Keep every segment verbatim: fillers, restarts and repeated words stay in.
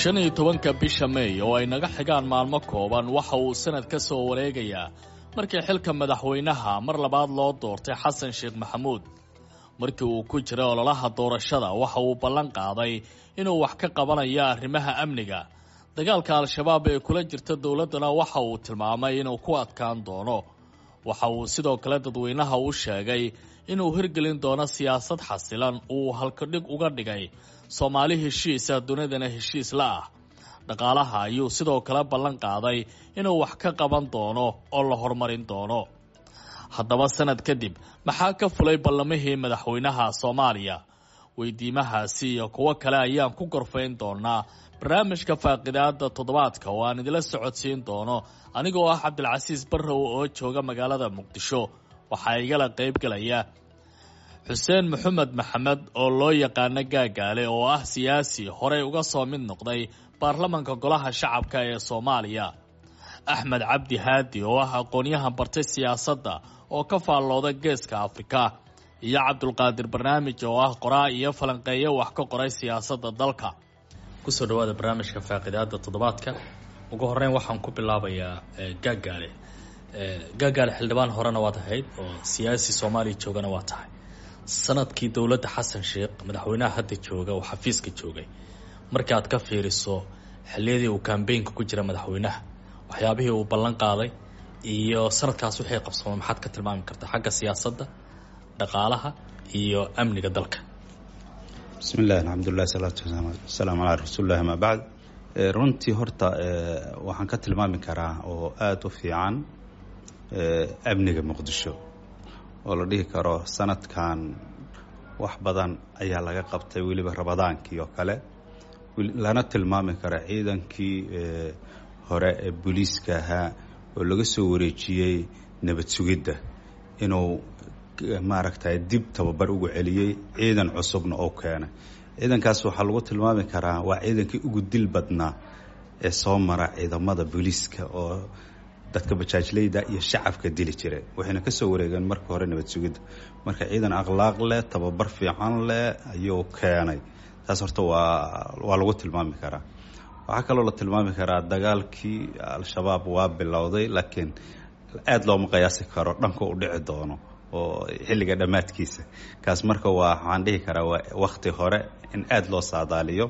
Shan iyo tobanka bisha Meey oo ay naga xigaan maalmo kooban waxa uu sanad ka soo wareegayaa markii xilka madaxweynaha mar labaad loo doortay Xasan Sheekh Maxamuud. Markii uu ku jiray ololaha doorashada waxa uu ballan qaaday inuu wax ka qabanayo arrimaha amniga. Dagaalka Al-Shabaab ee kula jirta dowladdana waxa uu tilmaamay inuu ku adkaan doono. Waxa uu sidoo kale dadweynaha u sheegay inuu hirgelin doono siyaasad xasilan uu halkadhig uga dhigay Soomaali heshiisa dunidana heshiis la ah. Dhaqaalaha ayuu sidoo kale ballan qaaday inuu wax ka qaban doono oo la horumarin doono. Haddaba sanad kadib maxaa ka fulay ballamihii madaxweynaha Soomaaliya? Weydiimahaasi iyo kuwo kale ayaan ku gorfayn doonaa barnaamijka faaqidaada toddobaadka oo aan idila socodsiin doono anigoo ah Cabdilcasiis Barrow oo jooga magaalada Muqdisho. Waxaa igala qaybgalaya Xuseen Maxamed Maxamed oo loo yaqaano Gaagaale oo ah siyaasi horey uga soo mid noqday baarlamanka golaha shacabka ee Soomaaliya, Axmed Cabdi Haadi oo ah aqoonyahan bartay siyaasadda oo ka faallooda Geeska Afrika, iyo Cabdulqaadir Barnaamij oo ah qoraa iyo falanqeeye wax ka qoray siyaasadda dalka. Kusoo dhawaada barnaamijka faaqidaada toddobaadka. Ugu horeyn waxaan ku bilaabayaa Gaagaale. Gaagaale, xildhibaan horena waad ahayd oo siyaasi Soomaaliya joogana waa tahay. Sanadkii dowladda Xasan Sheekh, madaxweynaha hadda jooga oo xafiiska joogay, marka aad ka fiiriso xilliyadii uu kambeynka ku jira madaxweynaha, waxyaabihii uu ballan qaaday iyo sanadkaas wixii qabsoomay, maxaad ka tilmaami kartaa xagga siyaasadda, dhaqaalaha iyo amniga dalka? Bismi llah, alxamdulilah, salaatu wasalaamu calaa rasuulillahi, amaa bacd. Runtii horta waxaan ka tilmaami karaa oo aada u fiican amniga Muqdisho oo la dhihi karo sanadkan wax badan ayaa laga qabtay, weliba Ramadaankii oo kale, lana tilmaami karo ciidankii hore ee booliiska ahaa oo laga soo wareejiyey nabad sugidda inuu maaragtay dib tababar ugu celiyey, ciidan cusubna oo keenay. Ciidankaas waxaa lagu tilmaami karaa waa ciidankii ugu dil badnaa ee soo mara ciidamada booliiska oo dadka bajaajleyda iyo shacabka dili jiray, waxayna kasoo wareegeen marka hore nabad sugidda. Marka ciidan akhlaaq leh, tababar fiican leh ayuu keenay. Taas horta waa waa lagu tilmaami karaa. Waxaa kaloo la tilmaami karaa dagaalkii Al-Shabaab waa bilowday, laakiin aada looma qiyaasi karo dhanka u dhici doono oo xilliga dhammaadkiisa kaas. Marka waa waxaan dhihi karaa waa wakti hore in aada loo saadaaliyo.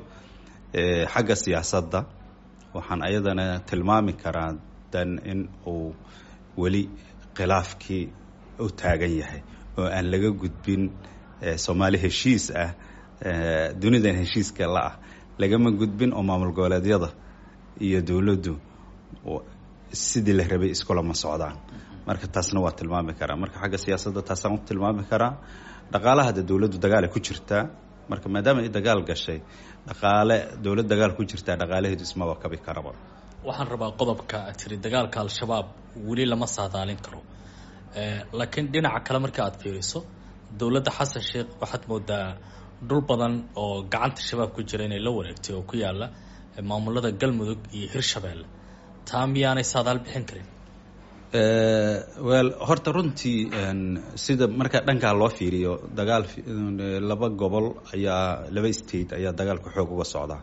Xagga siyaasadda waxaan ayadana tilmaami karaa dan in uu weli khilaafkii u taagan yahay oo aan laga gudbin. Soomaali heshiis ah, dunidan heshiiska la ah lagama gudbin oo maamul goboleedyada iyo dowladdu sidii la rabay iskulama socdaan. Marka taasna waa tilmaami karaa. Marka xagga siyaasadda taasaan u tilmaami karaa. Dhaqaalaha de dowladdu dagaal ay ku jirtaa. Marka maadaama ay dagaal gashay, dhaqaale dowlad dagaal ku jirtaa dhaqaalaheedu ismaba kabi karaba. Waxaan rabaa qodobka aad tiri dagaalka Al-Shabaab weli lama saadaalin karo, laakiin dhinaca kale marka aad fiiriso dowladda Xasan Sheekh waxaad moodaa dhul badan oo gacanta Shabaab ku jira inay la wareegtay oo ku yaala maamulada Galmudug iyo Hirshabeelle. Taa miyaanay saadaal bixin karin? Well, horta runtii sida marka dhankaa loo fiiriyo, dagaal laba gobol ayaa, laba state ayaa dagaalka xoog uga socdaa.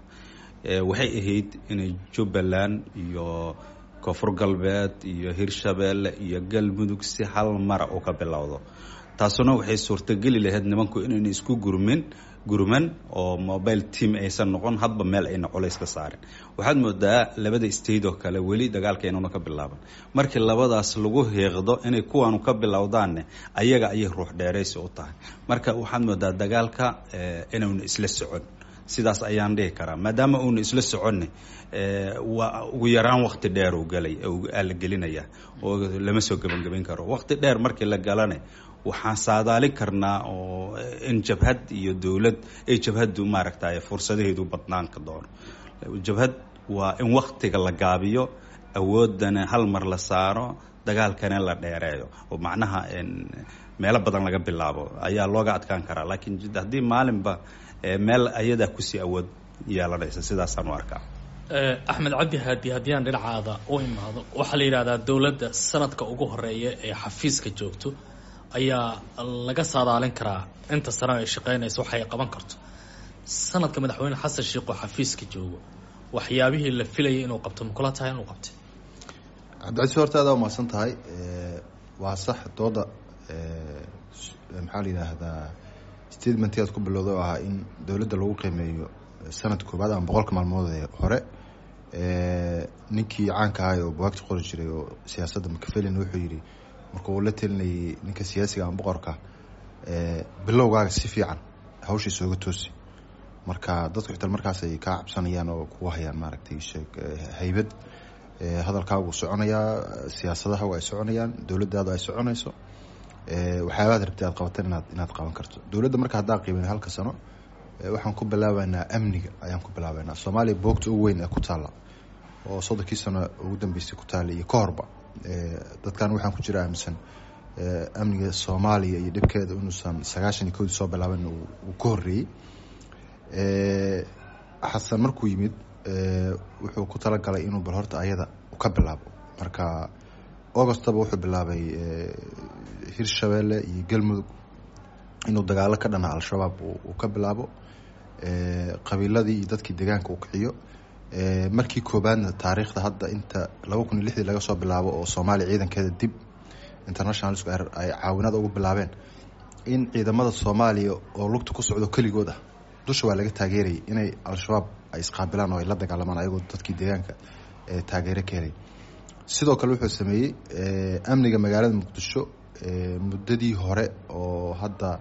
Waxay ahayd inay Jubbaland iyo Koonfur Galbeed iyo Hirshabeelle iyo Galmudug si hal mara uu ka bilowdo. Taasuna waxay suurtageli lahayd nimanku inayna isku gurmin gurman oo mobile team aysan noqon, hadba meel ayna culays ka saarin. Waxaad moodaa labada state oo kale weli dagaalka inuuna ka bilaaban. Markii labadaas lagu hiiqdo inay kuwaanu ka bilowdaanne, ayaga ayay ruux dheeraysi u tahay. Marka waxaad moodaa dagaalka inuuna isla socon, sidaas ayaan dhihi karaa. Maadaama uuna isla soconne, waa ugu yaraan wakti dheer uu galay la gelinaya oo lama soo gebangeban karo. Wakti dheer markii la galane, waxaan saadaalin karnaa oo in jabhad iyo dowlad ay jabhaddu maaragtay fursadaheedu badnaanka doono. Jabhad waa in waktiga la gaabiyo, awoodana hal mar la saaro, dagaalkana la dheereeyo oo macnaha meelo badan laga bilaabo ayaa looga adkaan karaa. Laakiin haddii maalinba meel ayadaa kusii awood yeelanaysa, sidaasaan u arkaa. Axmed Cabdi Haadi, haddii aan dhinacaada u imaado, waxaa la yidhahdaa dowladda sanadka ugu horeeya ee xafiiska joogto ayaa laga saadaalin karaa inta sano ay shaqeynayso waxay qaban karto. Sanadka madaxweyne Xasan Sheekh oo xafiiska joogo Waxyaabihii la filayay inuu qabto ma kula tahay inuu qabtay? Cabdicasiis, horta aada umahadsan tahay. Waa sax dooda, maxaa la yidhaahdaa, statementii aad ku bilowday oo ahaa in dowladda lagu qiimeeyo sanad koobaad ama boqolka maalmood ee hore. Ninkii caanka ahay oo buwaagta qori jiray oo siyaasadda, Machiavelli, wuxuu yidhi marka uu la telinayay ninka siyaasiga ama boqorka, bilowgaaga si fiican hawsha isooga toosi, marka dadku xitaa markaas ay kaa cabsanayaan oo kugu hayaan, maaragtay, sheeg haybad, hadalkaagu soconayaa, siyaasadaha ay soconayaan, dowladdaadu ay soconayso, waxyaabaad rabtay aad qabatan inaad inaad qaban karto. Dowladda marka haddaa qiimeyn halka sano, waxaan ku bilaabaynaa amniga ayaan ku bilaabaynaa. Soomaaliya boogta ugu weyn ee ku taalla oo soddonkii sano ugu dambeysay ku taalla iyo ka horba, dadkan waxaan ku jira aaminsan amniga Soomaaliya iyo dhibkeeda inuusan sagaashan iyo kowdii soo bilaaban, uu ka horreeyey. Xasan markuu yimid wuxuu ku talagalay inuu bal horta ayada ka bilaabo. Marka Augustaba wuxuu bilaabay Hirshabeelle iyo Galmudug inuu dagaalo ka dhana Al-Shabaab uu ka bilaabo, qabiiladii iyo dadkii deegaanka uu kiciyo. Markii koobaadna taariikhda hadda inta laba kun iyo lixdii laga soo bilaabo oo Soomaaliya ciidankeeda dib internationalsku ay caawinada ugu bilaabeen, in ciidamada Soomaaliya oo lugta ku socdo keligood ah, dusha waa laga taageerayay, inay Al-Shabaab ay isqaabilaan oo ay la dagaalamaan ayagoo dadkii deegaanka taageero ka helay. Sidoo kale wuxuu sameeyey amniga magaalada Muqdisho. Muddadii hore oo hadda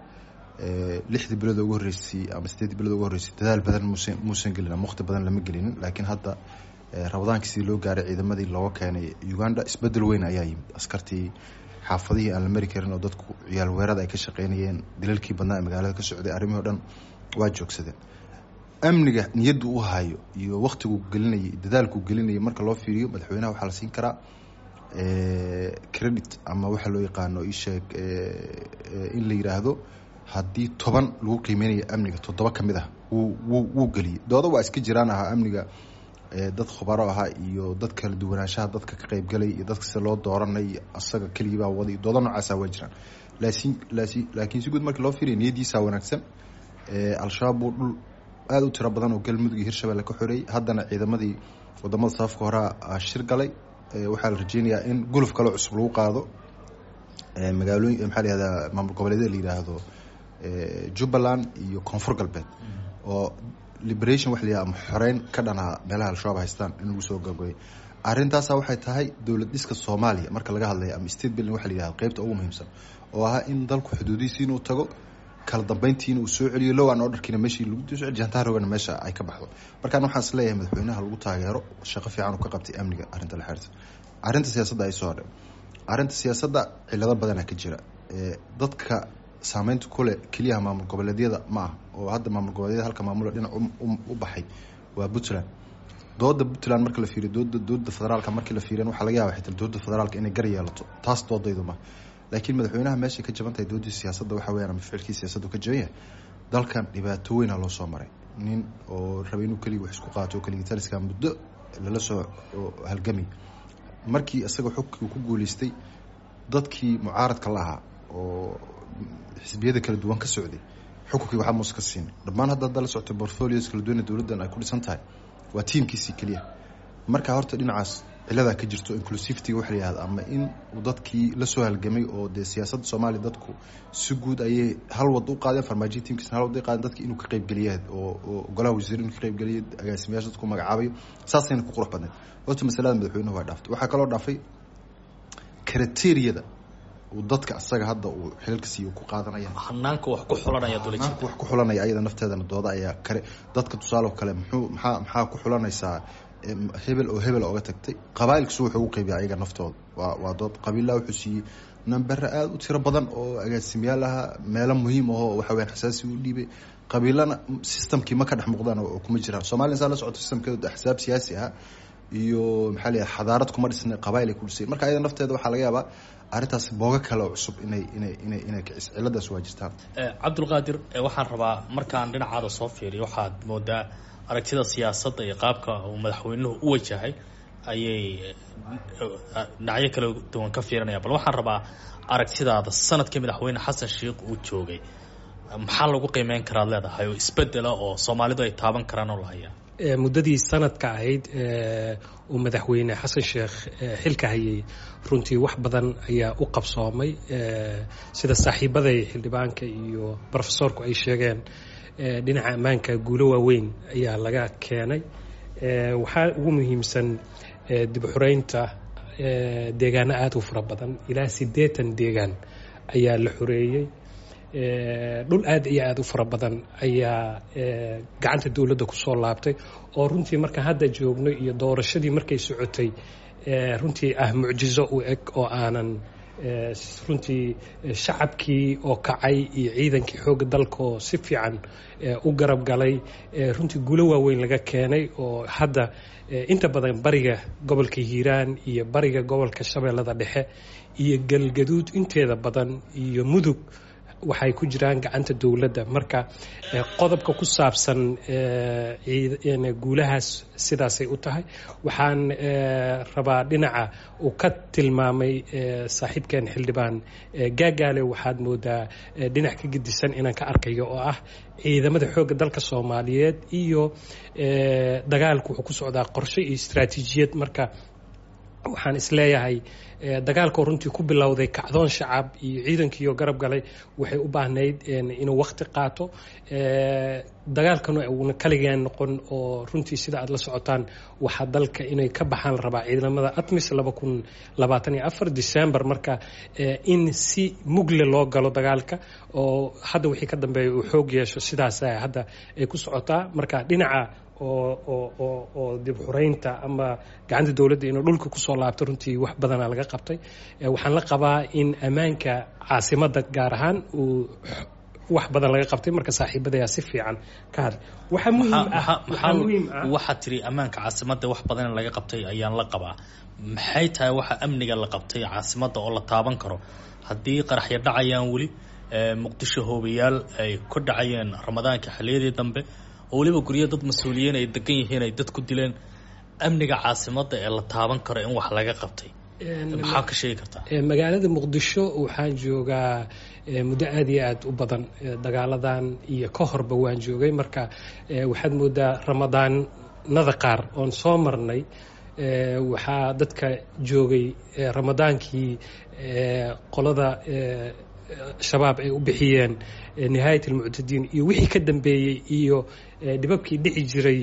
lixdii bilood ugu horreysay ama sideedii bilood ugu horreysay dadaal badan muusan muusan gelin ama waqti badan lama gelinin, laakiin hadda Ramadaankii sidii loo gaaray ciidamadii looga keenay Uganda, isbedel weyn ayaa yimid. Askartii xaafadihii aan la mari karin oo dadku ciyaal weerada ay ka shaqeynayeen, dilalkii badnaa ee magaalada ka socday, arrimihii o dhan waa joogsadeen. Amniga niyaddu u hayo iyo waktiguu gelinayay, dadaalkuu gelinayay, marka loo fiiriyo madaxweynaha waxaa la siin karaa credit ama waxa loo yaqaano isheeg in la yiraahdo haddii toban lagu qiimeynayo amniga, toddoba ka mid ah wuu wuu wuu geliyey. Dooda waa iska jiraan ahaa amniga, dad khubaro ahaa iyo dad kala duwanaanshaha dadka ka qaybgalay iyo dadka sida loo dooranay, asaga keligii baa waday, dooda noocaasa waa jiraan. Laakiin laakiin si guud markii loo fiiriyo niyadiisa wanaagsan. Al-Shabaab buu dhul aada u tiro badan oo Galmudug iyo Hirshabelle ka xoreeyey. Haddana ciidamadii wadamada safafka horaa shir galay. Waxaa la rajeynayaa in guluf kaloo cusub lagu qaado magaalooyin, maxaa la yihahdaa, maamul goboleedyada la yidhaahdo Jubbaland iyo Koonfur Galbeed, oo liberation wax la yihahdo ama xoreyn ka dhanaa meelaha Al-Shabaab haystaan in lagu soo gabgabeyo. Arrintaasa waxay tahay dowlad dhiska Soomaaliya marka laga hadlayo ama state building waxa la yihahdo qeybta ugu muhiimsan, oo ahaa in dalku xuduudihiisi inuu tago, kala dambeyntiina uu soo celiyo, law and orderkiina meeshii lagu soo celiyo, jantaarogana meesha ay ka baxdo. Markaan waxaan is leeyahay madaxweynaha lagu taageero shaqo fiican uu ka qabtay amniga. Arrinta la xiriirta arrinta siyaasadda ay soo hadhay, arrinta siyaasadda cilado badanaa ka jira. Dadka saameynta kule keliyaha maamul goboleedyada ma ah, oo hadda maamul goboleedyada halka maamula dhinac u baxay waa Puntland. Dooda Puntland marka la fiiriyo, dooda dowladda federaalka markii la fiiriyan, waxaa laga yaaba xitaa dowladda federaalka inay gar yeelato, taas doodaydu ma. Laakiin madaxweynaha meeshay ka jaban tahay doodii siyaasadda waxa weyaan ama ficilkii siyaasaddu ka jaban yahay, dalkan dhibaato weyna loo soo maray. Nin oo rabay inuu keligii wax isku qaato oo keligii taliska muddo lala soo halgamay, markii isaga xogkii uu ku guuleystay, dadkii mucaaradka la ahaa oo xisbiyada kala duwan ka socday xukunkii waxaa muuse ka siinay dhammaan. Hadda hadda la socotay portfolios kala duwan ee dowladdan ay ku dhisan tahay waa tiimkiisii keliya. Marka horta dhinacaas ciladaa ka jirto, inclusivity waxa la yihahda, ama in uu dadkii la soo halgamay oo dee siyaasadda Soomaaliya dadku si guud ayay hal wad u qaadeen, Farmaajiya tiimkiisna hal wad ay qaadeen, dadki inuu ka qaybgeliya oo oo golaha wasiir inuu ka qaybgeliyo, agaasimayaasha dadku magacaabayo, saasayna ku qurux badnayd. Horta masalada madaxweynuhu waa dhaaftay. Waxaa kaloo dhaafay criteriyada uu dadka asaga hadda uu xilalka siiyo ku qaadanaya. Hanaanka wax ku xulanaya. Hanaanka wax ku xulanaya ayada nafteedana dooda ayaa kare. Dadka tusaale kale muxuu maxaa maxaa ku xulanaysaa hebel oo hebel oga tagtay? Qabaa'ilkiisu wuxuu ugu qaybiya ayaga naftooda waa waa dood. Qabiillaha wuxuu siiyey nambere aada u tiro badan oo agaasimayaal ahaa, meelo muhiim ahoo waxa weyaan xasaasi u dhiibay. Qabiilana systemkii ma ka dhex muuqdaan oo kuma jiraan. Soomaliya saa la socoto systemkeedu axsaab siyaasi ah iyo maxaa la yidhaha xadaarad kuma dhisna, qabaa'il ay ku dhisay. Marka ayada nafteeda waxaa laga yaabaa arrintaas boogo kale oo cusub inay inay inay inay kiciso. Ciladaas waa jirtaan. Cabdulqaadir, waxaan rabaa markaan dhinacaada soo fiiriyo, waxaad moodaa aragtida siyaasadda iyo qaabka uu madaxweynuhu u wajahay ayay dhinacyo kala duwan ka fiirinaya. Bal waxaan rabaa aragtidaada sanadkii madaxweyne Xasan Sheikh uu joogay, maxaa lagu qiimeyn karaad leedahay oo isbedela oo Soomaalidu ay taaban karaan oo la hayaa? Muddadii sanadka ahayd uu madaxweyne Xasan Sheekh xilka hayay, runtii wax badan ayaa u qabsoomay. Sida saaxiibaday xildhibaanka iyo brofesoorku ay sheegeen, dhinaca ammaanka guulo waaweyn ayaa laga keenay. Waxaa ugu muhiimsan dib u xureynta deegaano aada u fara badan, ilaa siddeetan deegaan ayaa la xoreeyey. Dhul aad iyo aada u fara badan ayaa gacanta dowladda kusoo laabtay, oo runtii markaan hadda joogno iyo doorashadii markay socotay runtii ah mucjizo u eg, oo aanan runtii shacabkii oo kacay iyo ciidankii xoogga dalkaoo si fiican u garab galay, runtii guulo waaweyn laga keenay, oo hadda inta badan bariga gobolka Hiiraan iyo bariga gobolka Shabeellada Dhexe iyo Galgaduud inteeda badan iyo Mudug waxay ku jiraan gacanta dowladda. Marka qodobka ku saabsan guulahaas sidaasay u tahay. Waxaan rabaa dhinaca uu ka tilmaamay saaxiibkeen xildhibaan Gaagaale, waxaad moodaa dhinac ka gedisan inaan ka arkayo, oo ah ciidamada xoogga dalka Soomaaliyeed iyo dagaalku wuxuu ku socdaa qorshe iyo istaraatiijiyad. Marka waxaan isleeyahay dagaalkoo runtii ku bilowday kacdoon shacab iyo ciidankiioo garab galay waxay u baahnayd inuu wakti qaato, dagaalkana uuna kaligeen noqon, oo runtii sida aad la socotaan waxaa dalka inay ka baxaan la rabaa ciidamada ATMIS laba kun labaatan iyo afar December. Marka in si mugle loo galo dagaalka oo hadda wixii ka dambeeya uu xoog yeesho, sidaas hadda ay ku socotaa. Marka dhinaca oo oo oo oo dib xureynta ama gacanta dowladda inuu dhulka kusoo laabto, runtii wax badanaa laga qabtay. Waxaan la qabaa in ammaanka caasimadda gaar ahaan uu wax badan laga qabtay. Marka saaxiibadayaa si fiican ka hadlay. Waxaa muhiim ah, waxaa muhiim ah, waxaad tiri ammaanka caasimadda wax badan in laga qabtay ayaan la qabaa. Maxay tahay waxa amniga la qabtay caasimadda oo la taaban karo haddii qaraxyo dhacayaan weli Muqdisho, hoobayaal ay ku dhacayeen Ramadaanka xilliyadii dambe, oo weliba guryo dad mas-uuliyiin ay degan yihiin ay dad ku dileen? Amniga caasimadda ee la taaban karo in wax laga qabtay maxaa ka sheegi kartaa? Magaalada Muqdisho waxaan joogaa muddo aada iyo aada u badan, dagaaladan iyo ka horba waan joogay. Marka waxaad moodaa Ramadaanada qaar oon soo marnay, waxaa dadka joogay Ramadaankii qolada Shabaab ay u bixiyeen Nihaayat Almuctadiin iyo wixii ka dambeeyey iyo dhibabkii dhici jiray,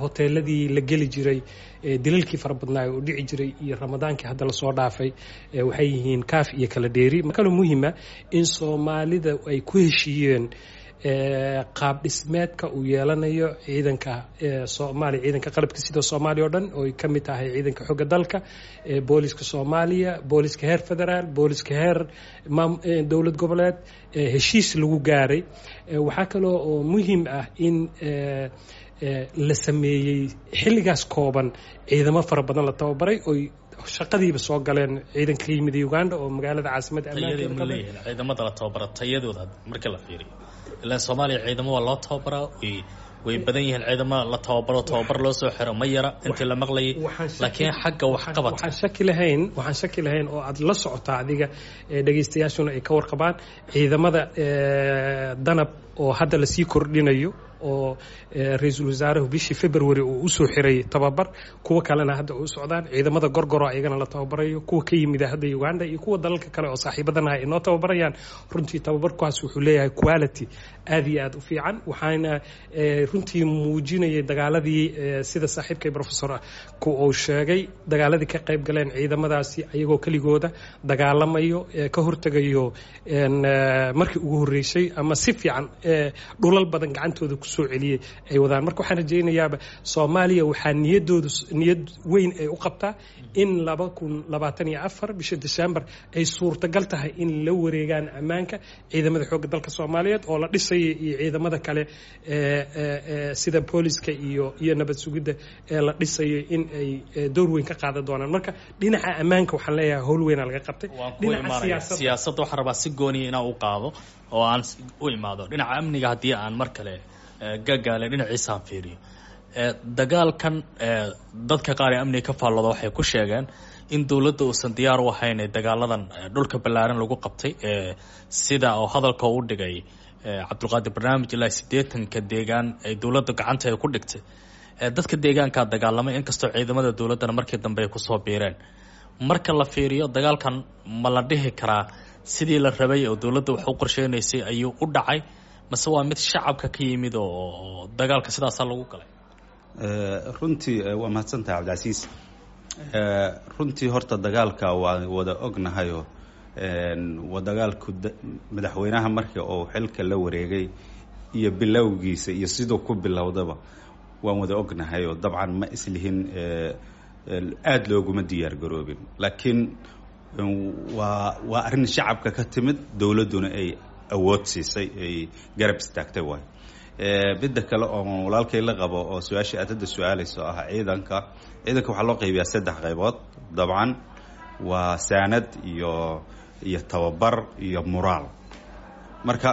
hoteeladii la geli jiray, dilalkii fara badnaa oo dhici jiray, iyo Ramadaankii hadda lasoo dhaafay waxay yihiin kaaf iyo kala dheeri. Kaloo muhiima in Soomaalida ay ku heshiiyeen qaab dhismeedka uu yeelanayo ciidanka Soomaaliya, ciidanka qalabka sida Soomaaliya o dhan, oo ay ka mid tahay ciidanka xogga dalka, booliska Soomaaliya, booliska heer federaal, booliska heer dowlad goboleed, heshiis lagu gaaray. Waxaa kaloo oo muhiim ah in la sameeyey xilligaas kooban ciidamo fara badan la tababaray oy shaqadiiba soo galeen, ciidanka ka yimid Uganda oo magaalada caasimadda. Tayadii ma leeyihiin ciidamada la tababara tayadooda marka la fiiriyo? Ilaan Soomaaliya ciidamo waa loo tababaraa, way way badan yihiin ciidamo la tababaro, tababar loo soo xiro ma yara intii la maqlayay, laakiin xagga waxqabadka waxaan shaki lahayn waxaan shaki lahayn oo aad la socotaa adiga, dhegaystayaashuna ay ka warqabaan, ciidamada Danab oo hadda lasii kordhinayo, oo ra-iisul wasaaruhu bishii February uu usoo xiray tababar, kuwa kalena hadda u socdaan, ciidamada Gorgoro ayagana la tababarayo, kuwa ka yimida hadda Uganda iyo kuwa dalalka kale oo saaxiibadanaha ay noo tababarayaan. Runtii tababarkaas wuxuu leeyahay quality aad iyo aad u fiican, waxaana runtii muujinayay dagaaladii, sida saaxiibkay professor ku uu sheegay, dagaaladii ka qayb galeen ciidamadaasi ayagoo keligooda dagaalamayo, ka hortegayo markii ugu horreysay ama si fiican dhulal badan gacantooda kusoo celiyey ay wadaan. Marka waxaan rajaynayaaba Soomaaliya waxaa niyadoodu niyad weyn ay u qabtaa in laba kun labaatan iyo afar bisha December ay suurtagal tahay in la wareegaan ammaanka ciidamada xoogga dalka Soomaaliyeed oo la dhisaya iyo ciidamada kale sida booliska iyo iyo nabad sugidda ee la dhisayo in ay door weyn ka qaadan doonaan. Marka dhinaca ammaanka waxaan leeyahay howl weynaa laga qabtay. Dhinaca siyaasadda waxaan rabaa si gooniya inaan u qaado oo aan u imaado dhinaca amniga. Haddii aan mar kale Gagaale dhinaciisaan fiiriyo dagaalkan, dadka qaar ee amniga ka faallooda waxay ku sheegeen in dowladda uusan diyaar u ahayn ee dagaaladan dhulka ballaaran lagu qabtay, sida oo hadalka u dhigay Cabdulqaadir Barnaamij, ilaa siddeetanka deegaan ay dowladda gacanta ay ku dhigtay. Dadka deegaankaa dagaalamay, inkastoo ciidamada dowladdana markii dambe ay kusoo biireen. Marka la fiiriyo dagaalkan, ma la dhihi karaa sidii la rabay oo dowladda wax u qorsheynaysay ayuu u dhacay, mase waa mid shacabka ka yimid oo dagaalka sidaasaa lagu galay? Runtii waa mahadsantahay, Cabdicasiis. Runtii horta dagaalka waa wada ognahayo, waa dagaalku madaxweynaha markii uu xilka la wareegay iyo bilowgiisa iyo siduu ku bilowdaba waan wada ognahay, oo dabcan ma islihin aada looguma diyaar garoobin, laakiin waa waa arrin shacabka ka timid, dowladduna ay awood siisay, ay garab istaagtay. Waay midda kale oo walaalkay la qabo oo su-aasha aad hadda su-aalayso ah, ciidanka ciidanka waxaa loo qaybiyaa saddex qaybood. Dabcan waa saanad iyo iyo tababar iyo muraal. Marka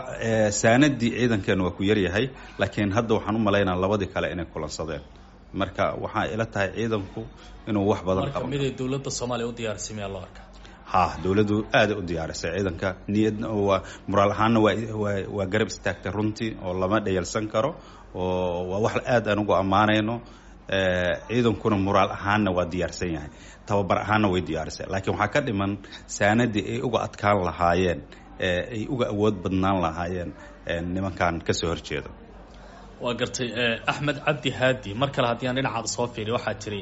saanadii ciidankeena waa ku yaryahay, laakiin hadda waxaan u malaynaa labadii kale inay kulansadeen. Marka waxaa ila tahay ciidanku inuu wax badan qabo. Miday dowladda Soomaaliya u diyaarisay miyaa loo arkaa? Ha, dowladdu aaday u diyaarisay ciidanka, niyadna waa muraal ahaanna waa waa waa garab istaagtay runtii, oo lama dhayalsan karo, oo waa wax aad aan ugu ammaanayno. Ciidankuna muraal ahaanna waa diyaarsan yahay, tababar ahaanna way diyaarisay, laakiin waxaa ka dhiman saanadii ay uga adkaan lahaayeen, ay uga awood badnaan lahaayeen nimankan kasoo horjeeda. Waa gartay, Axmed Cabdi Haadi. Mar kale haddii aan dhinacaada soo fiiriyo, waxaa jiri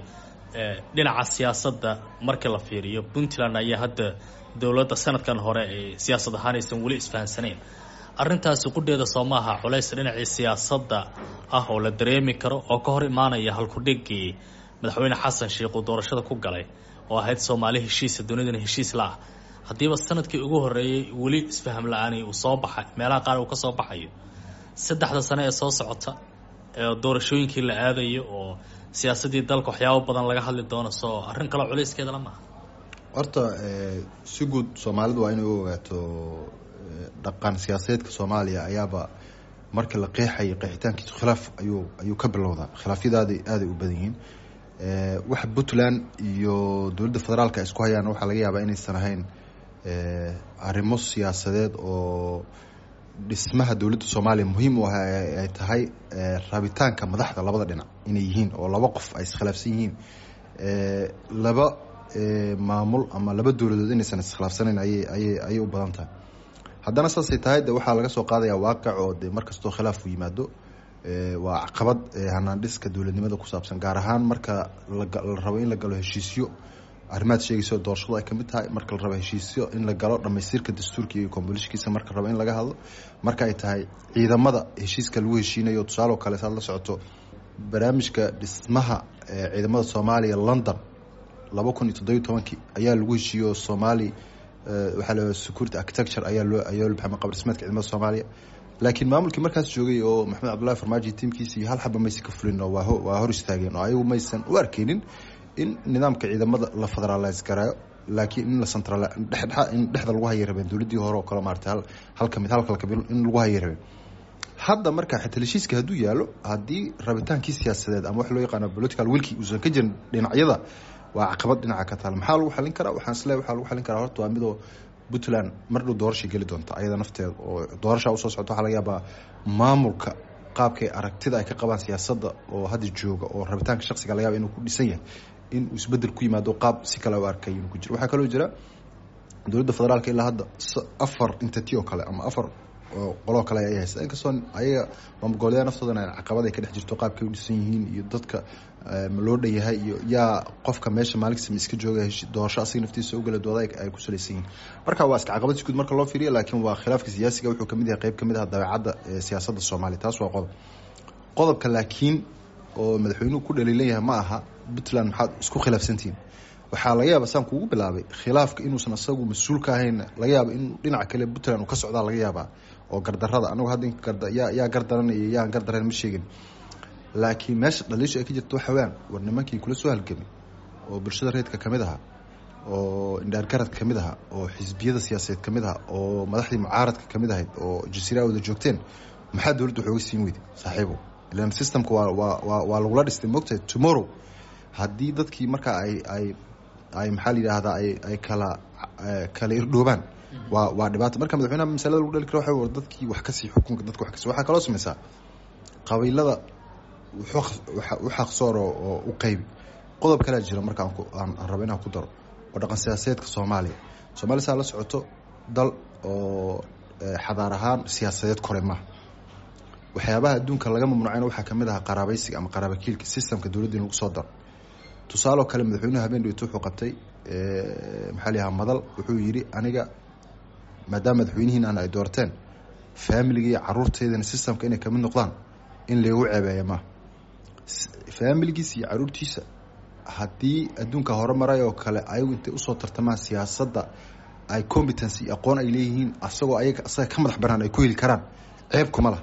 dhinaca siyaasadda marka la fiiriyo, Puntland ayaa hadda dowladda sanadkan hore ay siyaasad ahaan aysan weli isfahansanayn. Arrintaasi qudheeda soo maaha culays dhinacii siyaasadda ah oo la dareemi karo, oo ka hor imaanaya halkudhigii madaxweyne Xasan Sheikh uu doorashada ku galay oo ahayd Soomaali heshiisa, dunidana heshiis la ah, haddiiba sanadkii ugu horreeyey weli isfaham la-aani uu soo baxay, meelaha qaar uu ka soo baxayo, saddexda sane ee soo socota ee doorashooyinkii la aadayo oo siyaasaddii dalka waxyaabo badan laga hadli doono, soo arrin kaloo culayskeeda la maaha? Horta si guud Soomaalidu waa inay u ogaato dhaqan siyaasadeedka Soomaaliya ayaaba marka la qeexayo qeexitaankiisu khilaaf ayuu ayuu ka bilowdaa. Khilaafyadaada aaday u badan yihiin. Waxa Puntland iyo dowladda federaalka ay isku hayaan waxaa laga yaabaa inaysan ahayn arrimo siyaasadeed oo dhismaha dowladda Soomaaliya muhiim u ah, ay tahay rabitaanka madaxda labada dhinac inay yihiin, oo laba qof ay iskhilaafsan yihiin, laba maamul ama laba dowladood inaysan iskhilaafsanayn ayay ayay ayay u badan tahay. Haddana saasay tahay, de waxaa laga soo qaadaya waaqic oo de mar kastoo khilaaf u yimaado waa caqabad hanaan dhiska dowladnimada ku saabsan, gaar ahaan marka la rabo in la galo heshiisyo, arrimaad sheegayso doorashadu ay kamid tahay, marka la rabo heshiisyo in la galo dhamaystirka dastuurka iyo compositionkiisa, marka la rabo in laga hadlo, marka ay tahay ciidamada heshiiska lagu heshiinayo. Tusaale oo kale, saad la socoto barnaamijka dhismaha ciidamada Soomaaliya, London laba kun iyo toddobiyo tobankii ayaa lagu heshiiyo. Somali waxaa la security architecture ayaa loo ayaa loo baxay qaab dhismeedka ciidamada Soomaaliya, laakiin maamulkii markaas joogay oo Maxamed Cabdullahi Farmaajo tiimkiisa iyo hal xaba maysan ka fulin, oo waa waa hor istaageen, oo ayagu maysan u arkeynin in nidaamka ciidamada la federalize garaayo, laakiin in la central dhexdhexa in dhexda lagu hayay rabeen, dowladdii hore oo kale maaragtay, hal hal kamid hal kala kamid in lagu hayay rabeen. Hadda marka xitaa heshiiska hadduu yaalo, haddii rabitaankii siyaasadeed ama wax loo yaqaano political willkii uusan ka jirin dhinacyada, waa caqabad dhinaca ka taal. Maxaa lagu xalin karaa? Waxaan isleeyahay waxaa lagu xalin karaa horta waa midoo Puntland mar dhow doorashay geli doonta ayada nafteeda, oo doorashaa usoo socota. Waxaa laga yaabaa maamulka qaabkay aragtida ay ka qabaan siyaasadda oo hadda jooga, oo rabitaanka shaksiga laga yaaba inuu ku dhisan yahay, in uu isbedel ku yimaado, qaab si kale u arkay inuu ku jiro. Waxaa kaloo jira dowladda federaalka ilaa hadda afar entity oo kale ama afar qoloo kale ay haysta, inkastoo ayaga maamul goboleedyada naftoodana caqabad ay ka dhex jirto qaabkay u dhisan yihiin iyo dadka ma loo dhan yahay iyo yaa qofka meesha maalinkasta ma iska jooga, doorasho asiga naftiisa ugala dooda ay ku salaysan yihiin. Marka waa iska caqabad si guud marka loo fiiriyo, laakiin waa khilaafka siyaasiga wuxuu kamid yahay qeyb kamid ah dabeecadda siyaasadda Soomaaliya. Taas waa qodob. Qodobka laakiin oo madaxweynuhu ku dhaliilan yahay ma aha Puntland maxaad isku khilaafsantihiin. Waxaa laga yaaba saan kuugu bilaabay khilaafka inuusan asagu mas-uul ka ahayn, laga yaaba in dhinaca kale Puntland uu ka socdaa laga yaabaa, oo gardarada anagu hadda yaa yaa gardaranaya yaan gardaran ma sheegin, laakiin meesha dhaliishu ay ka jirto waxa weyaan, war nimankii kula soo halgamay oo bulshada reedka kamid ahaa, oo indhaargaradka kamid ahaa, oo xisbiyada siyaasadeed kamid ahaa, oo madaxdii mucaaradka kamid ahayd, oo jasiira wada joogteen, maxaa dowladda waxooga siin weyday saaxiibo? Ilan systemka waa waa waa waa lagula dhistay, moogtahay. Tomorrow haddii dadkii markaa ay ay ay maxaa la yidhaahdaa ay ay kala kala irdhoobaan, waa waa dhibaato. Marka madaxweynaha masalada lagu dhali karo waxa war dadkii wax kasii xukunka dadka wax kasii. Waxaa kaloo sameysaa qabiilada u xaqsoor oo u qaybi. Qodob kalea jira marka aan rabo inaan ku daro oo dhaqan siyaasadeedka Soomaaliya. Soomaaliya saa la socoto dal oo xadaar ahaan siyaasadeed kore maaha. Waxyaabaha adduunka laga mamnuucayna waxaa kamid ahaa qaraabaysiga ama qaraabakiilka systemka dowladda in lagu soo daro. Tusaaloo kale, madaxweynuhu habeen dhigto wuxuu qabtay, maxaa la yahaa, madal. Wuxuu yidhi aniga maadaama madaxweynihiin aan ay doorteen, faamiliga iyo caruurteydana systemka inay kamid noqdaan in laygu ceebeeya maaha. Faamiligiisa iyo caruurtiisa haddii adduunka hore maray oo kale ayagu intay usoo tartamaan siyaasadda ay competency iyo aqoon ay leeyihiin, asagoo ayaga asaga ka madax banaan ay ku heli karaan, ceeb kuma lah.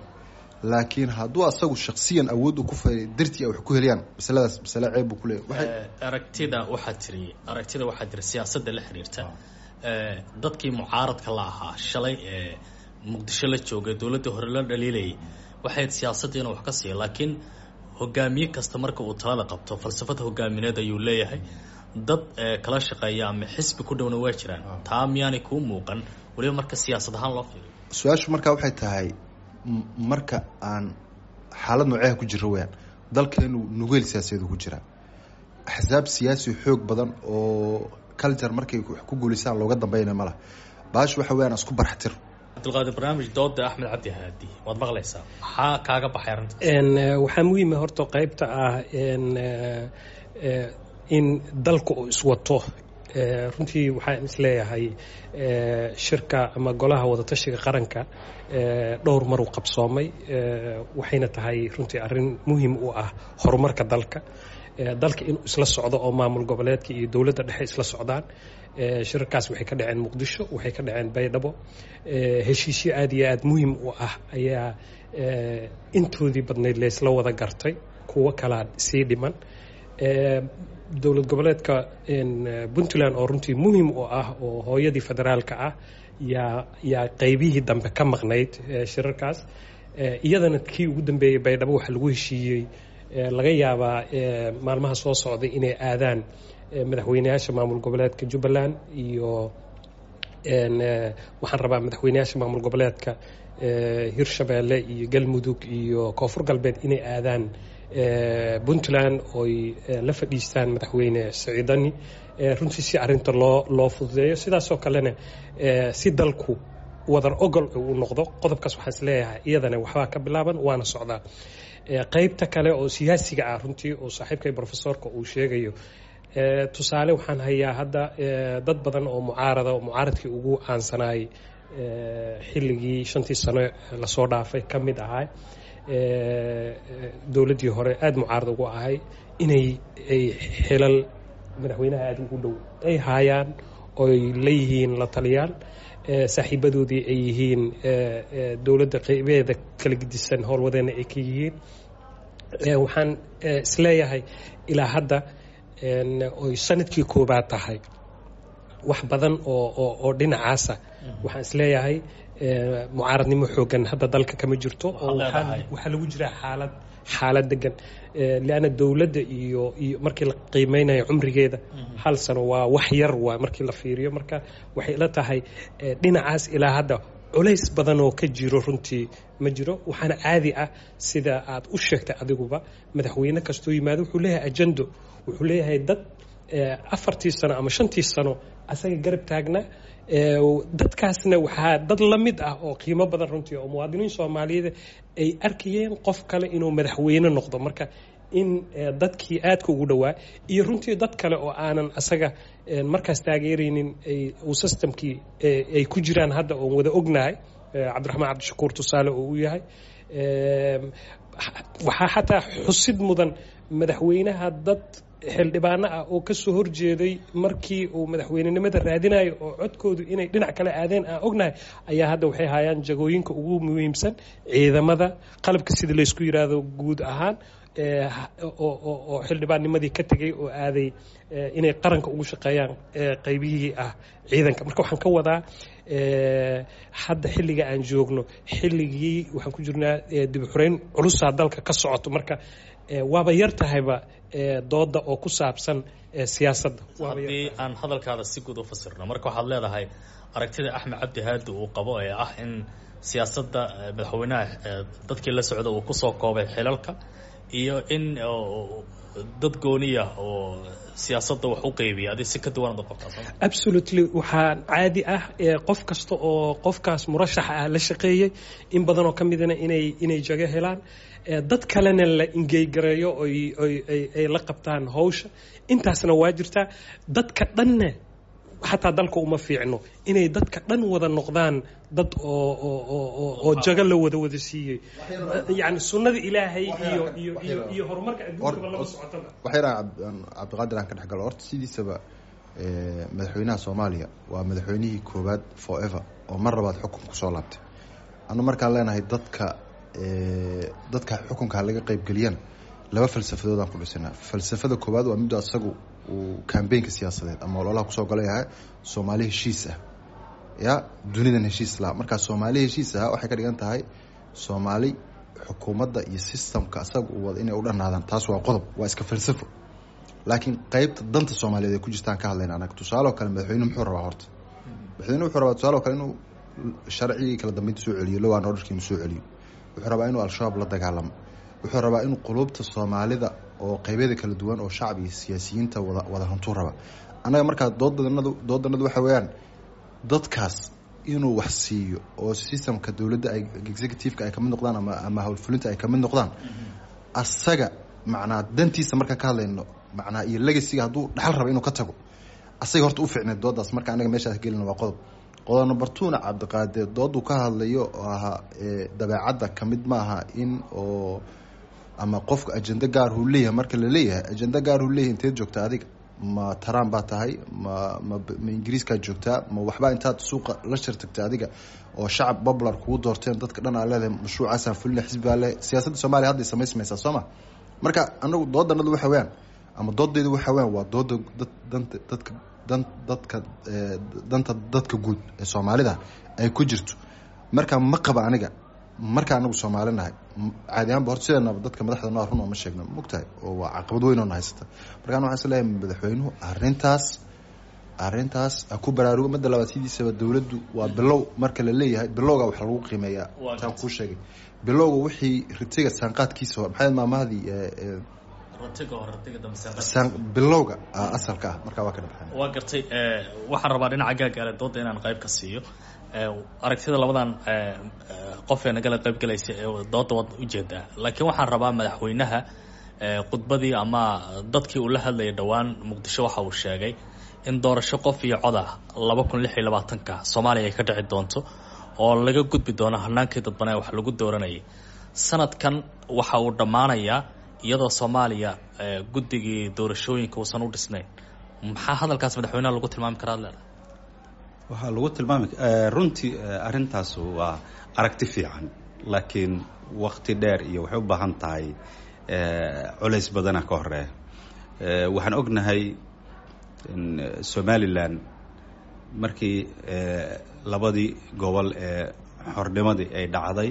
Laakiin hadduu asagu shaksiyan awood u ku fay dartii ay wax ku heliyaan, masaladaas masale ceeb buu ku leeyahy. Aragtida waxaa tiri aragtida waxaa tiri siyaasadda la xiriirta dadkii mucaaradka la ahaa shalay ee Muqdisho la joogay, dowladda hore la dhaliilayay, waxay siyaasadda inuu wax ka siiyo. Laakiin hogaamiye kasta marka uu talada qabto falsafad hogaamineed ayuu leeyahay, dad kala shaqeeya ama xisbi ku dhowna waa jiraan. Taa miyaanay kuu muuqan weliba marka siyaasad ahaan loo fiiriyo? Su-aashu markaa waxay tahay marka aan xaalad nooceha ku jiro weyaan. Dalkeenu nugeel siyaasadeed ku jiraa, axsaab siyaasi xoog badan oo culture markay wax ku guulaystaan looga dambeynaya ma laha. Baash waxa weyaan isku barxtir. Cabdulqaadir, barnaamij dooda Axmed Cabdi Haadi waad maqlaysaa, maxaa kaaga baxay arrintaas? Waxaa muhiima horta qaybta ah in dalka uu iswato. Runtii waxaan isleeyahay shirka ama golaha wadatashiga qaranka dhowr maruu qabsoomay, waxayna tahay runtii arrin muhiim u ah horumarka dalka, dalka inuu isla socdo oo maamul goboleedka iyo dowladda dhexe isla socdaan. Shirarkaas waxay ka dhaceen Muqdisho, waxay ka dhaceen Baydhabo. Heshiisyo aad iyo aad muhiim u ah ayaa intoodii badnayd laysla wada gartay, kuwo kalaa sii dhiman. Dowlad goboleedka Puntland oo runtii muhiim u ah oo hooyadii federaalka ah yaa yaa qaybihii dambe ka maqnayd shirarkaas. Iyadana kii ugu dambeeyey Baydhabo waxaa lagu heshiiyey, laga yaabaa maalmaha soo socday inay aadaan madaxweyneyaasha maamul goboleedka Jubbaland iyo, waxaan rabaa, madaxweyneyaasha maamul goboleedka Hirshabeelle iyo Galmudug iyo Koonfur Galbeed inay aadaan Puntland oy la fadhiistaan madaxweyne Siciidani, runtii si arrinta loo loo fududeeyo, sidaasoo kalena si dalku wadar ogol uu noqdo. Qodobkaas waxaan isleeyahay iyadana waxbaa ka bilaaban waana socdaa. Qaybta kale oo siyaasiga ah, runtii oo saaxiibkay profesorka uu sheegayo, tusaale waxaan hayaa hadda dad badan oo mucaarada oo mucaaradkii ugu caansanaayay xilligii shantii sano lasoo dhaafay ka mid ahaa, dowladdii hore aada mucaarad ugu ahay, inay ay xilal madaxweynaha aada ugu dhow ay haayaan oy leeyihiin la taliyaal, saaxiibadoodii ay yihiin, dowladda qeybeeda kala gedisan howlwadeena ay ka yihiin. Waxaan isleeyahay ilaa hadda oy sanadkii koobaad tahay wax badan oo oo oo dhinacaasa waxaan isleeyahay mucaaradnimo xoogan hadda dalka kama jirto, oo waxaa lagu jiraa xaalad xaalad degan, lianna dowladda iyo iyo markii la qiimeynayo cumrigeeda hal sano waa wax yar waa markii la fiiriyo. Marka waxay ila tahay dhinacaas ilaa hadda culays badan oo ka jiro runtii ma jiro. Waxaana caadi ah sida aad u sheegtay adiguba, madaxweyne kastoo yimaado wuxuu leeyahay ajendo, wuxuu leeyahay dad afartii sano ama shantii sano asaga garab taagnaa. Dadkaasna waxaa dad la mid ah oo qiimo badan runtii oo muwaadiniin Soomaaliyeed ay arkayeen qof kale inuu madaxweyne noqdo. Marka in dadkii aadka ugu dhowaa iyo runtii dad kale oo aanan asaga markaas taageeraynin uu systemkii ay ku jiraan hadda oon wada ognahay, Cabdiraxmaan Cabdishakuur tusaale oo u yahay. Waxaa xataa xusid mudan madaxweynaha dad xildhibaano ah oo ka soo horjeeday markii uu madaxweynenimada raadinayo oo codkoodu inay dhinac kale aadeen aan ognahay ayaa hadda waxay hayaan jagooyinka ugu muhiimsan ciidamada qalabka sida laysku yiraahdo guud ahaan, oo xildhibaannimadii ka tegay oo aaday inay qaranka ugu shaqeeyaan qaybihii ah ciidanka. Marka waxaan ka wadaa hadda xilliga aan joogno, xilligii waxaan ku jirnaa dib u xureyn culusaa dalka ka socoto, marka waaba yar tahayba dooda oo ku saabsan siyaasadda. Haddii aan hadalkaada si guud u fasirno, marka waxaad leedahay aragtida Axmed Cabdi Haadi uu qabo ee ah in siyaasadda madaxweynaha dadkii la socda uu kusoo koobay xilalka iyo in dad gooniya oo siyaasadda wax u qeybiya adi si ka duwan ad qabtaa? Absolutely, waxaa caadi ah qof kasta oo qofkaas murashaxa ah la shaqeeyey in badanoo ka midana inay inay jago helaan, dad kalena la ingeygareeyo oy oy ay la qabtaan hawsha. Intaasna waa jirtaa. Dadka dhanna xataa dalka uma fiicno inay dadka dhan wada noqdaan dad oo oo oo jago la wada wada siiyey. Yani sunnada Ilaahay iyo iyo iyo iyo horumarka adduunkaba lama socotaba. Wax yar aan Cabdiqaadir aan ka dhex galo. Horta sidiisaba madaxweynaha Soomaaliya waa madaxweynihii koowaad forever oo mar labaad xukun kusoo laabtay. Anu markaan leenahay dadka dadka xukunka laga qaybgeliyana, laba falsafadood aan ku dhisanaa. Falsafada koowaad waa midda asagu uu kambeynka siyaasadeed ama ololaha kusoo galayahay, Soomaali heshiis ah ya dunidan heshiis laha. Markaa Soomaali heshiis ah waxay ka dhigan tahay Soomaali xukuumadda iyo systemka asaga uu wada inay u dhanaadaan. Taas waa qodob, waa iska falsafo. Laakiin qeybta danta Soomaaliyeed ay ku jirtaan ka hadlayna anaga. Tusaale oo kale, madaxweynuhu muxuu rabaa? Horta madaxweynuhu wuxuu rabaa, tusaale oo kale, inuu sharcigii kala dambeynta soo celiyo, law and orderkii inuu soo celiyo. Wuxuu rabaa inuu Al-Shabaab la dagaalamo. Wuxuu rabaa inuu qulubta Soomaalida oo qeybyada kala duwan oo shacab iyo siyaasiyiinta wada wada hantuu rabaa. Annaga markaa doodanadu doodanadu waxa weeyaan dadkaas inuu wax siiyo oo systemka dowladda ay executive-ka ay kamid noqdaan ama ama howlfulinta ay kamid noqdaan. Asaga macnaa dantiisa markaan ka hadlayno, macnaa iyo legacyga hadduu dhaxal raba inuu ka tago, asaga horta u fiicneed doodaas. Marka anaga meeshaas gelina waa qodob. Qodob number two-na, Cabdiqaadir dooduu ka hadlayo oo ahaa dabeecadda kamid maaha in oo ama qofka ajenda gaar uu leeyahay. Marka la leeyahay ajenda gaar uu leeyahay, inteed joogta adiga? Ma Trump baa tahay? ma ma ma Ingiriiskaa joogtaa? Ma waxbaa intaad suuqa la shirtagtay adiga oo shacab popular kugu doorteen, dadka dhan aa leedahay mashruucaasaan fulina, xisbi baa le? Siyaasadda Soomaaliya hadday samaysmaysaa, soo ma? Marka anagu doodanadu waxa weeyaan ama doodaydu waxa weeyaan waa dooda dad danta dadka dan dadka danta dadka guud ee Soomaalida ay ku jirto. Marka ma qaba aniga. Marka anagu Soomaali nahay, caadi ahaanba horta sideenaba dadka madaxda noo run oo ma sheegno, mogtahay, oo waa caqabad weyn oo na haysata. Marka ana waxaan is leeyahay madaxweynuhu arrintaas arrintaas ha ku baraarugo. Midda labaad, sidiisaba dowladdu waa bilow. Marka la leeyahay bilowga wax lagu qiimeeyaa, taan kuu sheegay, bilowga wixii ritiga saanqaadkiisa hore, maxay maamahadii? Bilowga asalka ah marka waa ka dhabaxay. Waa gartay. Waxaan rabaa dhinaca gaagaale dooda inaan qayb ka siiyo. Aragtida labadan qof ee nagala qayb galaysa dooda waad ujeedaa, laakiin waxaan rabaa madaxweynaha khudbadii ama dadkii uu la hadlayay dhowaan Muqdisho waxa uu sheegay in doorasho qof iyo cod ah laba kun lix iyo labaatanka Soomaaliya ay ka dhici doonto oo laga gudbi doono hanaankii dadbanee wax lagu dooranayay. Sanadkan waxa uu dhammaanayaa iyadoo Soomaaliya guddigii doorashooyinka uusan u dhisnayn. Maxaa hadalkaas madaxweynaha lagu tilmaami karaa ad leedahay? Waxaa lagu tilmaami, runtii arrintaas waa aragti fiican, laakiin wakti dheer iyo waxay u baahan tahay culays badana ka horeeya. Waxaan ognahay in Somaliland markii labadii gobol ee xornimadii ay dhacday,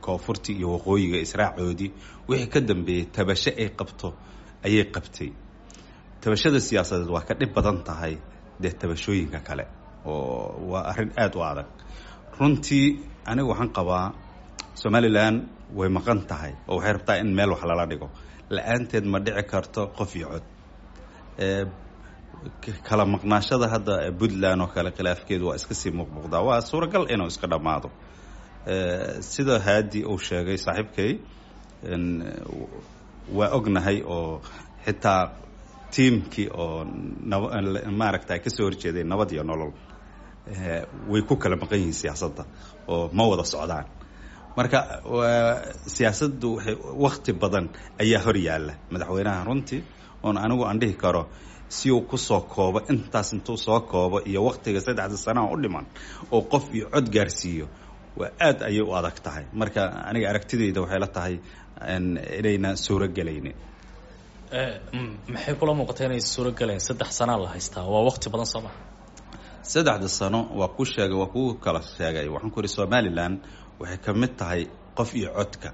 koonfurtii iyo waqooyiga israacoodii, wixii ka dambeeyey tabasho ay qabto ayay qabtay. Tabashada siyaasadeed waa ka dhib badan tahay dee tabashooyinka kale oo waa arrin aada u adag. Runtii anigu waxaan qabaa Somaliland way maqan tahay oo waxay rabtaa in meel wax lala dhigo. La-aanteed ma dhici karto qof iyo cod. Kala maqnaashada hadda Puntland oo kale, khilaafkeedu waa iska sii muuqmuuqdaa, waa suuragal inuu iska dhammaado. Sida Haadi uu sheegay saaxiibkay, waa ognahay oo xitaa tiimkii oo maaragta kasoo horjeeday Nabad iyo Nolol way ku kala maqan yihiin siyaasadda oo ma wada socdaan. Marka siyaasaddu waxay wakti badan ayaa hor yaalla madaxweynaha runtii, oon anigu aan dhihi karo si uu kusoo koobo intaas, intuu soo koobo iyo waktiga saddexda sanaha u dhiman oo qof iyo cod gaarsiiyo, waa aad ayay u adag tahay. Marka aniga aragtidayda waxay la tahay inayna suuro gelaynin. Maxay kula muuqatay inay suuro gelayn? Saddex sanaa la haystaa, waa wakti badan, soo maha? Saddexda sano waa ku sheegay, waa kuu kala sheegay. Waxaan ku ihi Somaliland waxay ka mid tahay qof iyo codka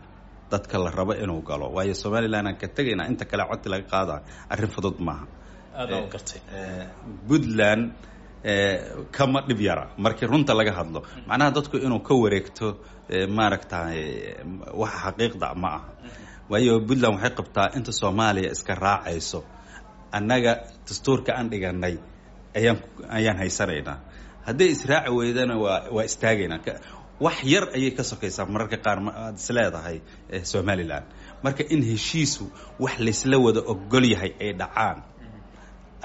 dadka la rabo inuu galo, waayo Somaliland aan ka tegaynaa, inta kale codki laga qaada arrin fudud maaha. Aada u gartay. Puntland kama dhib yara markii runta laga hadlo. Macnaha dadku inuu ka wareegto maaragtay waxa xaqiiqda ma aha. Waayo Puntland waxay qabtaa inta Soomaaliya iska raacayso, annaga dastuurka aan dhiganay ayaan ayaan haysanaynaa, hadday israaci weydana waa waa istaagaynaa. Wax yar ayay ka sokaysaa mararka qaar aad is leedahay Somalilan. Marka in heshiisu wax laysla wada ogol yahay ay dhacaan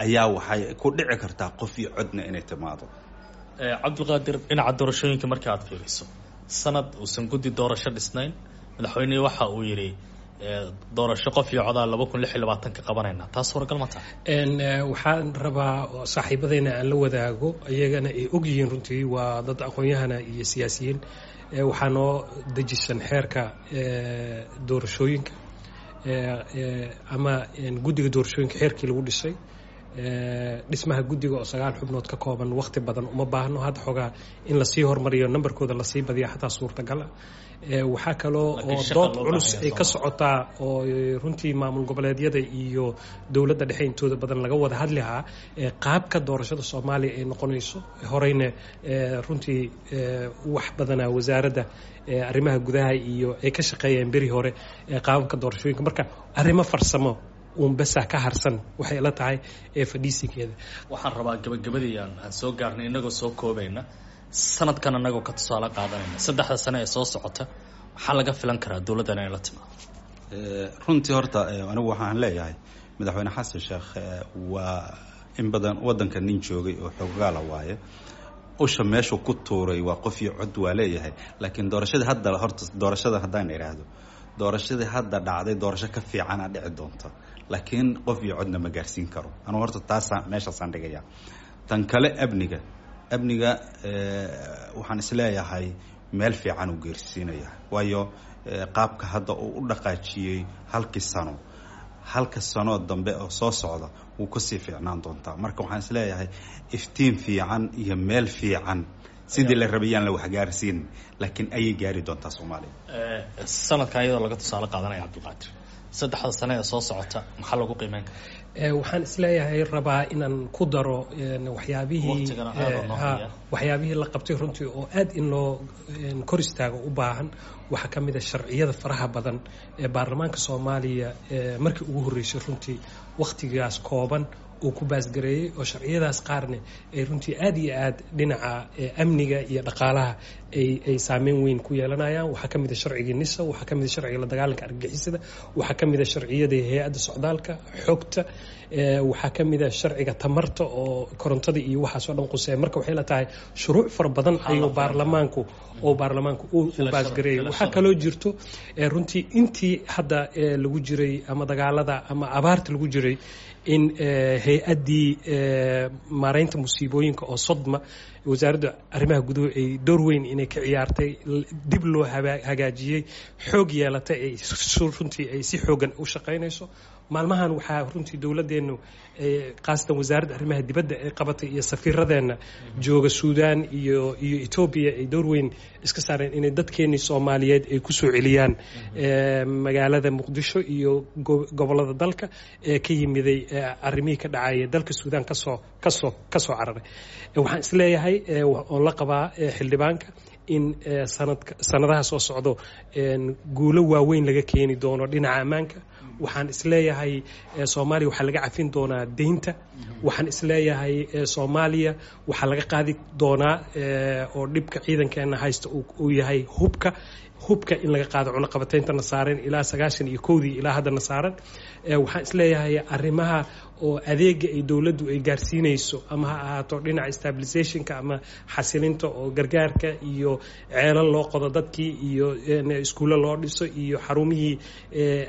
ayaa waxay ku dhici kartaa qof iyo codna inay timaado. Cabdulqaadir, dhinaca doorashooyinka marka aad fiiriso, sanad uusan guddi doorasho dhisnayn, madaxweynihii waxa uu yidhi doorasho qof iyo codaa laba kun lix iyo labaatanka qabanayna, taas suuragal ma tahay? Waxaan rabaa saaxiibadeyna aan la wadaago, iyagana ay og yihiin, runtii waa dad aqoon-yahana iyo siyaasiyiin. Waxaa noo dejisan xeerka doorashooyinka ama guddiga doorashooyinka xeerkii lagu dhisay. Dhismaha guddiga oo sagaal xubnood ka kooban waqti badan uma baahno, hadda xoogaa in lasii hormariyo, nambarkooda lasii badiya xataa suurtagal ah. Waxaa kaloo oo dood culus ay ka socotaa oo runtii maamul goboleedyada iyo dowladda dhexe intooda badan laga wada hadlihaa qaabka doorashada Soomaaliya ay noqonayso. Horeyna runtii wax badanaa wasaaradda arrimaha gudaha iyo ay ka shaqeeyeen beri hore qaababka doorashooyinka. Marka arrimo farsamo uun besa ka harsan waxay la tahay ee fadhiisinkeeda. Waxaan rabaa gabagabadii aan aan soo gaarnay, inagoo soo koobayna, sanadkan anagoo ka tusaale qaadanayna saddexda sane ee soo socota, maxaa laga filan karaa dowladdan inay la timaado? Runtii horta anigu waxaan leeyahay Madaxweyne Xasan Sheekh waa in badan waddanka nin joogay oo xoogaala waaye. Usha meeshuu ku tuuray waa qof iyo cod waa leeyahay, laakiin doorashadii hadda, horta doorashada haddaan idhaahdo, doorashadii hadda dhacday doorasho ka fiicana dhici doonta, laakiin qof iyo codna ma gaarsiin karo. Anugu horta taasa meeshaasaan dhigaya. Tan kale amniga, amniga waxaan isleeyahay meel fiican uu geersiinaya, waayo qaabka hadda uu u dhaqaajiyey halkii sano, halka sanoo dambe oo soo socda wuu kasii fiicnaan doontaa. Marka waxaan isleeyahay iftiin fiican iyo meel fiican sidii la rabayaan la waxgaarsiin, laakiin ayay gaari doontaa Soomaaliya. Sanadkan iyadoo laga tusaale qaadanaya, Cabdulqaadir, saddexda sane ee soo socota maxaa lagu qiimeyn karaa? Waxaan isleeyahay rabaa inaan ku daro waxyaabihii waxyaabihii la qabtay runtii oo aad in loo kor istaago u baahan. Waxaa ka mid a sharciyada faraha badan ee baarlamaanka Soomaaliya markii ugu horreysay runtii wakhtigaas kooban uu ku baasgareeyey, oo sharciyadaas qaarne ay runtii aad iyo aad dhinaca amniga iyo dhaqaalaha ay ay saameyn weyn ku yeelanayaan. Waxaa ka mid a sharcigii NISA, waxaa ka mid a sharciga la dagaalanka argagixisada, waxaa ka mid a sharciyada hay-adda socdaalka xogta, waxaa ka mid a sharciga tamarta oo korontada iyo waxaas oo dhan quseeya. Marka waxay la tahay shuruuc fara badan ayuu baarlamaanku oo baarlamaanku uu baasgareeyay. Waxaa kaloo jirto runtii intii hadda lagu jiray ama dagaalada ama abaarta lagu jiray in hay-addii maareynta musiibooyinka oo SODMA, wasaaradda arrimaha guduhu ay door weyn inay ka ciyaartay, dib loo hagaajiyey, xoog yeelatay, ay runtii ay si xoogan u shaqaynayso maalmahan. Waxaa runtii dowladeennu, khaasatan wasaaradda arrimaha dibadda, ay qabatay iyo safiiradeenna jooga Suudaan iyo iyo Etoobiya ay door weyn iska saareen inay dadkeennii Soomaaliyeed ay kusoo celiyaan magaalada Muqdisho iyo gobollada dalka ee ka yimiday arrimihii ka dhacaya dalka Suudaan kasoo kasoo kasoo cararay. Waxaan isleeyahay oon la qabaa xildhibaanka in sanadka sanadaha soo socdo guulo waaweyn laga keeni doono dhinaca ammaanka. Waxaan isleeyahay Soomaaliya waxaa laga cafin doonaa deynta. Waxaan isleeyahay Soomaaliya waxaa laga qaadi doonaa oo dhibka ciidankeena haysta uu yahay hubka, hubka in laga qaado cunaqabateyntana saaran ilaa sagaashan iyo kowdii ilaa haddana saaran. Waxaan isleeyahay arrimaha oo adeega ay dowladdu ay gaarsiinayso, ama ha ahaato dhinaca stabilisationka ama xasilinta oo gargaarka iyo ceelal loo qodo dadkii iyo iskuullo loo dhiso iyo xarumihii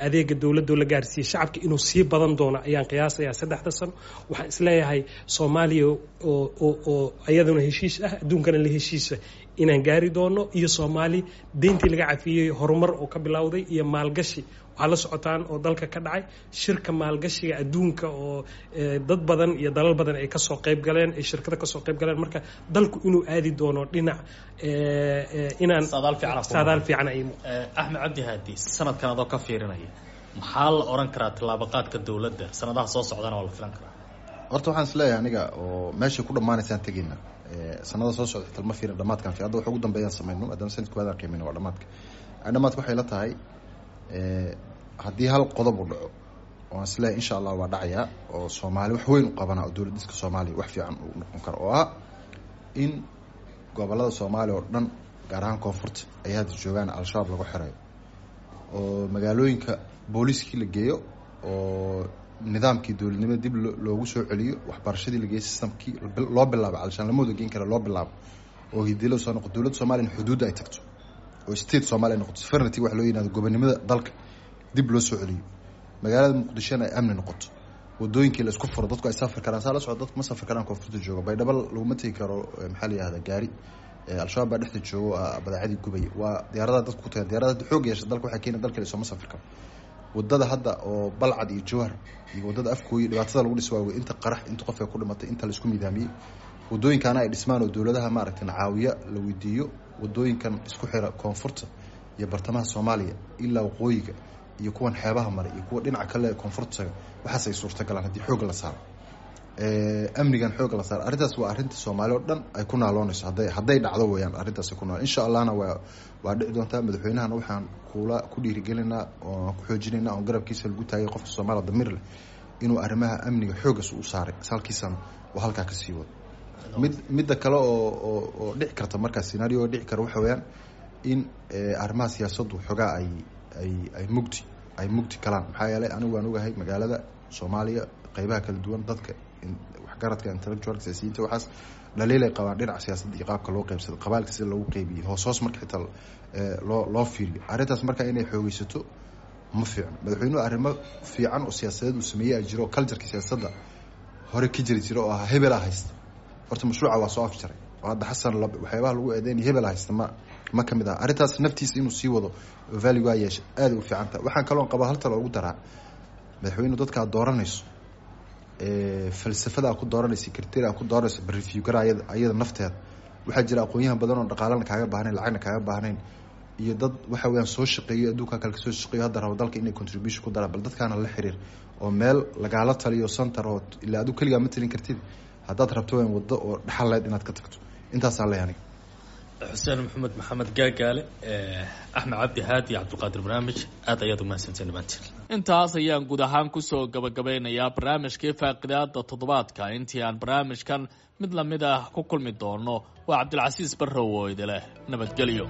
adeega dowladdu la gaarsiiyey shacabka, inuu sii badan doono ayaan qiyaasayaa saddexda sano. Waxaan isleeyahay Soomaaliya oo oo iyaduna heshiis ah, adduunkana la heshiisa inaan gaari doono, iyo Soomaali deyntii laga cafiyey, horumar oo ka bilowday iyo maalgashi. Waxaa la socotaan oo dalka ka dhacay shirka maalgashiga adduunka oo dad badan iyo dalal badan ay kasoo qayb galeen, ay shirkado kasoo qayb galeen. Marka dalku inuu aadi doono dhinac inaan saadaal fiican ay. Axmed Cabdi Haadi, sanadkan adoo ka fiirinaya, maxaa la oran karaa tallaabaqaadka dowladda sanadaha soo socdana waa la filan karaa? Horta waxaan isleeyahay aniga oo meeshay ku dhammaanaysaan tegeyna sanada soo socda xitaa lama fiirin dhamaadkan fi hadda waxa ugu dambeeyaan samayno, maadaama sanadka waadaan qiimayno waa dhamaadka. Dhamaadka waxay la tahay Haddii hal qodob u dhaco oo aan isleeyahay insha Allah waa dhacayaa oo Soomaali wax weyn u qabanaa oo dowlad dhiska Soomaaliya wax fiican uu noqon karo, oo ah in gobolada Soomaaliya oo dhan, gaar ahaan koonfurta ay hadda joogaan Al-Shabaab lagu xirayo, oo magaalooyinka booliiskii la geeyo, oo nidaamkii dowladnimada dib loogu soo celiyo, waxbarashadii la geeyo, systemkii loo bilaabo, calashaan lama wada geen kara, loo bilaabo oo hidilo soo noqo, dowladda Soomaaliya in xuduudda ay tagto oo state Soomaaliya noqoto, sovereignty wax loo yiraahdo, gobonimada dalka dib loo soo celiyo, magaalada Muqdishona ay amni noqoto, wadooyinkii la isku furo, dadku ay safri karaan. Saa la socdo, dadku ma safri karaan koonfurta jooga. Baydhabo laguma tegi karo, maxaa la yihahdaa, gaari. Al-Shabaab baa dhexda joogo, badeecadii gubaya. Waa diyaaradaha dadku ku tagaan. Diyaaradaha xoog yeesha dalka waxay keena dalka sooma safri karo. Wadada hadda oo Balcad iyo Jawhar iyo wadada Afkooyi dhibaatada lagu dhis waawe, inta qarax, inta qof ay ku dhimatay, inta la isku midaamiyey. Wadooyinkaana ay dhismaan oo dowladaha maaragtay caawiya la weydiiyo wadooyinkan isku xira koonfurta iyo bartamaha Soomaaliya ilaa waqooyiga iyo kuwan xeebaha maray iyo kuwa dhinaca kale koonfurta taga. Waxaas ay suurtagalaan haddii xoogga la saaro amnigan, xoogga la saaro. Arrintaas waa arrinta Soomaali oo dhan ay ku naaloonayso hadday hadday dhacdo weeyaan. Arrintaas ku naal insha Allahna waa waa dhici doontaa. Madaxweynahana waxaan kula ku dhiirigelinaa oo ku xoojinaynaa oon garabkiisa lagu taagay qofka Soomaaliya damiir leh inuu arrimaha amniga xooggas u saaray salkiisana oo halkaa ka sii wado. Mid midda kale oo oo oo dhici karta markaa, scenario oo dhici kara, waxa weeyaan in arrimaha siyaasaddu xogaa ay ay ay mugdi ay mugdi kalaan. Maxaa yeelay anigu waan ogahay magaalada Soomaaliya qeybaha kala duwan, dadka waxgaradka, intellectualka, siyaasiyiinta, waxaas dhaliilay qabaan dhinaca siyaasadda iyo qaabka loo qeybsado, qabaalka sida loogu qeybiyey, hoos hoos marka xitaa loo loo fiiriyo. Arrintaas marka inay xoogeysato ma fiicno. Madaxweynuhu arrimo fiican oo siyaasadeed uu sameeyey a jiro oo cultureka siyaasadda hore ka jiri jira oo ahaa hebelaa haysta. Horta mashruuca waa soo afjaray oo hadda Xasan waxyaabaha lagu eedeynaya hebelaa haysta ma ma ka mid ah. Arrintaas naftiisa inuu sii wado oo value waa yeesha aad u fiican tahay. Waxaan kaloon qabaa hal talo ugu daraa madaxweynuhu: dadka aad dooranayso, falsafada aad ku dooranaysa, criteria aad ku dooranayso, review gara ayada ayada nafteeda. Waxaa jira aqoon-yahan badan oo dhaqaalana kaaga baahnayn, lacagna kaaga baahnayn, iyo dad waxa weeyaan soo shaqeeyo, adduunka kale kasoo shaqeeyo, hadda rabo dalka inay contribution ku daraan. Bal dadkaana la xiriir oo meel lagaala taliyo, center oo ilaa adigu keligaa ma talin kartid haddaad rabto weyn waddo oo dhaxal leed inaad ka tagto. Intaasaa leh aniga. Xuseen Maxamed Maxamed Gaagaale, Axmed Cabdi Haadi, Cabdiqaadir barnaamij, aad ayaad umahadsanteen dhammaantiin. Intaas ayaan guud ahaan kusoo gabagabeynayaa barnaamijkii faaqidaada toddobaadka. Intii aan barnaamijkan mid lamid ah ku kulmi doono, waa Cabdilcasiis Barrow oo idileh nabadgelyo.